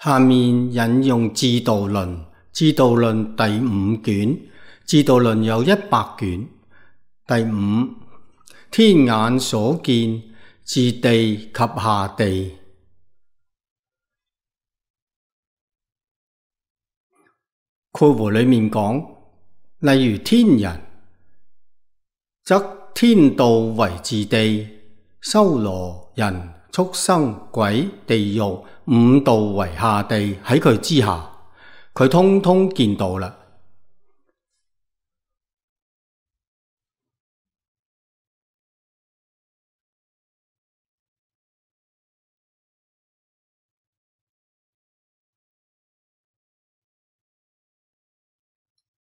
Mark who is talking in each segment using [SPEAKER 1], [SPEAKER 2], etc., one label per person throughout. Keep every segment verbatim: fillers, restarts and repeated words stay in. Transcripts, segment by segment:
[SPEAKER 1] 下面引用《志度論》，《志度論》第五卷，《志度論》有一百卷。第五，天眼所見，自地及下地。括弧裏面講，例如天人，則天道為自地，修羅人、畜生、鬼、地獄五道為下地，喺佢之下，佢通通見到啦。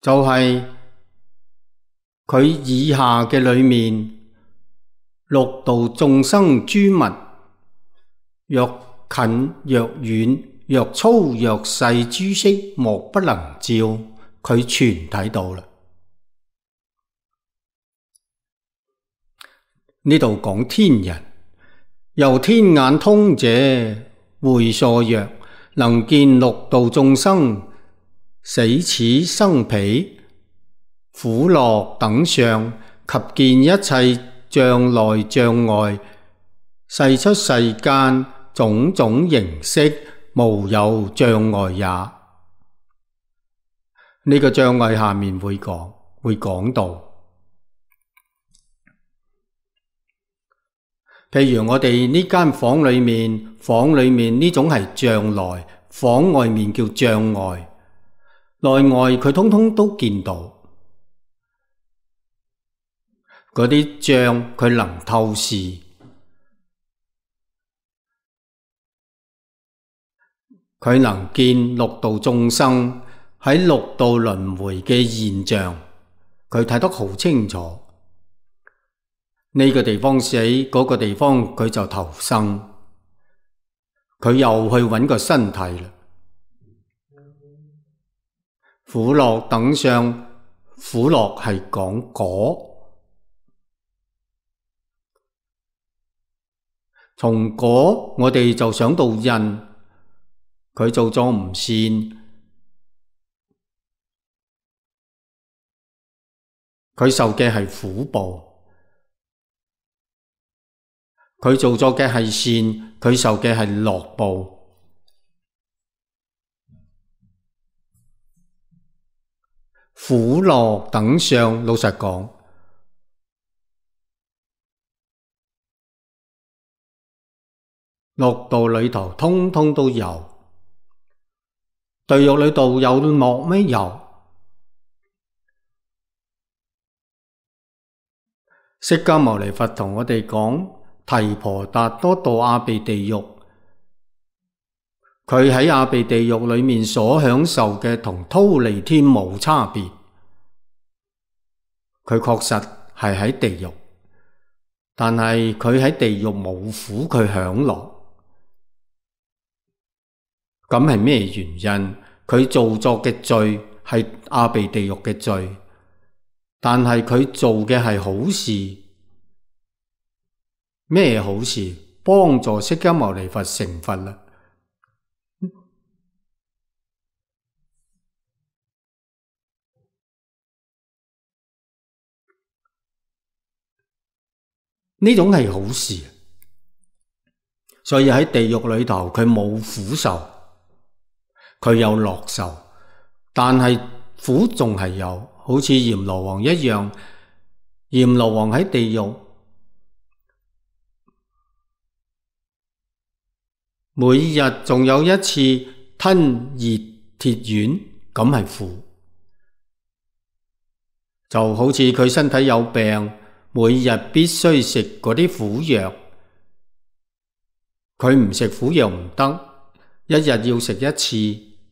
[SPEAKER 1] 就係佢以下嘅裏面，六道眾生諸物，若近若遠，若粗若細，諸色莫不能照，佢全睇到啦。呢度講天人，由天眼通者，會所曰，能見六道眾生，死此生彼，苦樂等相，及見一切障內障外，世出世間種種形式，無有障礙也。呢個障礙下面會講，會講到。譬如我哋呢間房裏面，房裏面呢種係障內，房外面叫障外。內外佢通通都見到，嗰啲障佢能透視，佢能見六道眾生喺六道輪迴嘅現象，佢睇得好清楚。呢個地方死，嗰個地方佢就投生，佢又去揾個身體啦。苦樂等相，苦樂係講果，從果我哋就想到因，佢做咗唔善，佢受嘅係苦報；佢做咗嘅係善，佢受嘅係樂報。苦樂等相，老實講，六道裏頭通通都有。地獄裏頭有樂咩？有。釋迦牟尼佛同我哋講，提婆達多墮阿鼻地獄，佢喺阿鼻地獄裏面所享受嘅同忉利天冇差別，佢確實係喺地獄，但係佢喺地獄冇苦，佢享樂。咁係咩原因？佢做作嘅罪係阿鼻地獄嘅罪，但係佢做嘅係好事。咩好事？幫助釋迦牟尼佛成佛啦。呢種係好事，所以喺地獄裏頭佢冇苦受，佢有樂受，但係苦仲係有，好似閻羅王一樣。閻羅王喺地獄每日仲有一次吞熱鐵丸，咁係苦。就好似佢身體有病，每日必須食嗰啲苦藥，佢唔食苦藥唔得，一日要食一次，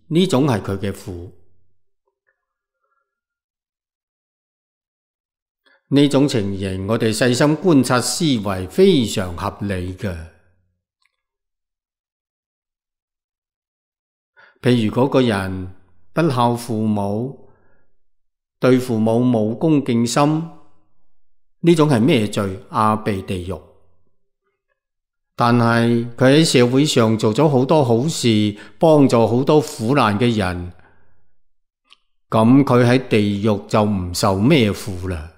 [SPEAKER 1] 呢種係佢嘅苦。呢種情形，我哋細心觀察思維，非常合理嘅。譬如嗰個人不孝父母，對父母冇恭敬心，呢種係咩罪？阿鼻地獄。但係佢喺社會上做咗好多好事，幫助好多苦難嘅人，咁佢喺地獄就唔受咩苦啦。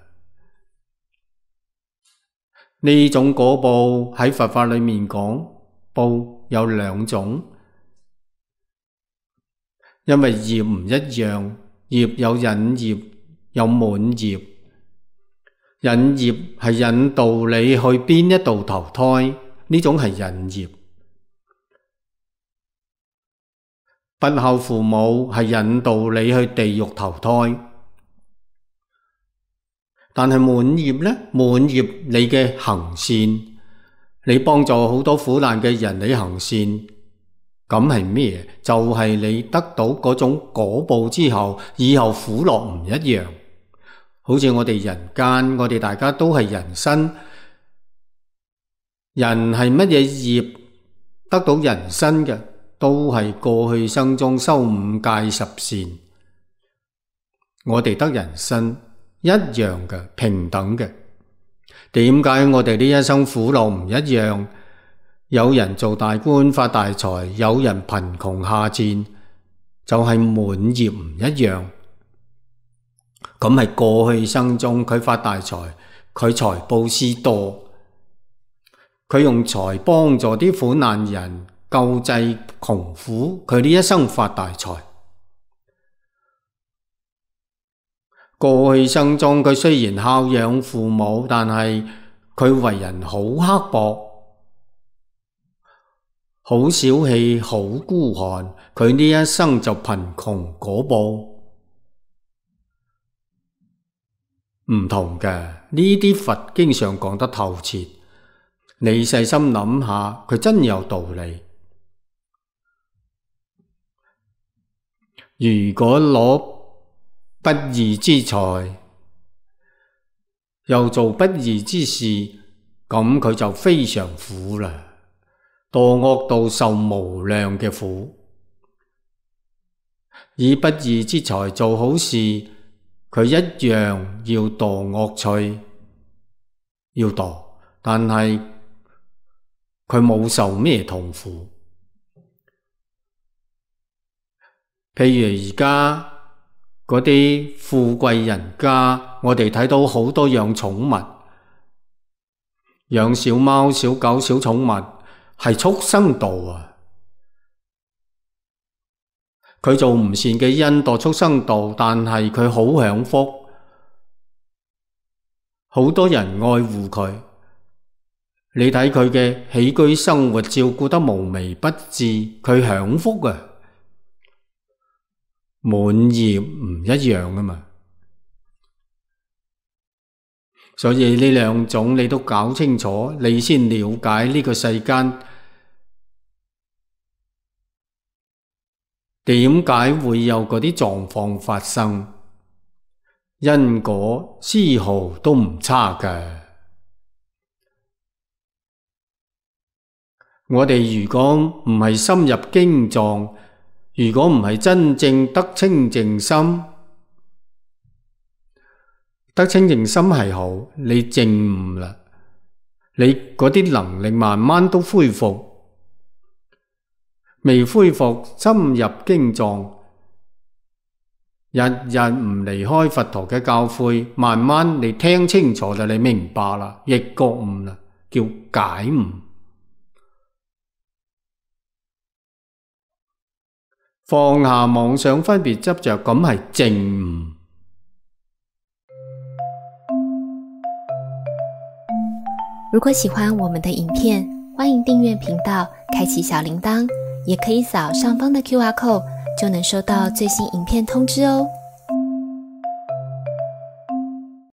[SPEAKER 1] 呢種果報喺佛法裏面講，報有兩種，因為業唔一樣，業有引業，有滿業。引業係引導你去邊一度投胎，呢種係引業。不孝父母係引導你去地獄投胎。但係滿業呢？滿業你嘅行善，你幫助好多苦難嘅人，你行善，咁係咩？就係你得到嗰種果報之後，以後苦樂唔一樣。好似我哋人間，我哋大家都係人身，人係乜嘢業得到人身嘅？都係過去生中修五戒十善，我哋得人身一樣嘅，平等嘅。點解我哋呢一生苦樂唔一樣？有人做大官發大財，有人貧窮下賤，就係滿業唔一樣。咁係過去生中佢發大財，佢財布施多，佢用財幫助啲苦難人，救濟窮苦，佢呢一生發大財。過去生中佢雖然孝養父母，但係佢為人好刻薄，好小氣，好孤寒，佢呢一生就貧窮果報。唔同嘅，呢啲佛經上講得透徹，你細心諗下，佢真有道理。如果攞不義之財，又做不義之事，咁佢就非常苦啦，墮惡道受無量嘅苦。以不義之財做好事，佢一樣要墮惡趣，要墮，但係佢冇受咩痛苦。譬如而家嗰啲富貴人家，我哋睇到好多養寵物，養小貓、小狗、小寵物，係畜生道啊！佢做唔善嘅因墮畜生道，但係佢好享福，好多人愛護佢。你睇佢嘅起居生活照顧得無微不至，佢享福啊！滿業唔一樣啊嘛，所以呢兩種你都搞清楚，你先了解呢個世間點解會有嗰啲狀況發生，因果絲毫都唔差㗎。我哋如果唔係深入經藏，如果唔係真正得清淨心，得清淨心係好，你證悟啦，你嗰啲能力慢慢都恢復，未恢復深入經藏，日日唔離開佛陀嘅教誨，慢慢你聽清楚啦，你明白啦，亦覺悟啦，叫解悟。放下妄想分別執着，咁係證悟。
[SPEAKER 2] 如果喜歡我們的影片，歡迎訂閱頻道，開啟小鈴鐺，也可以掃上方的 Q R code，就能收到最新影片通知哦。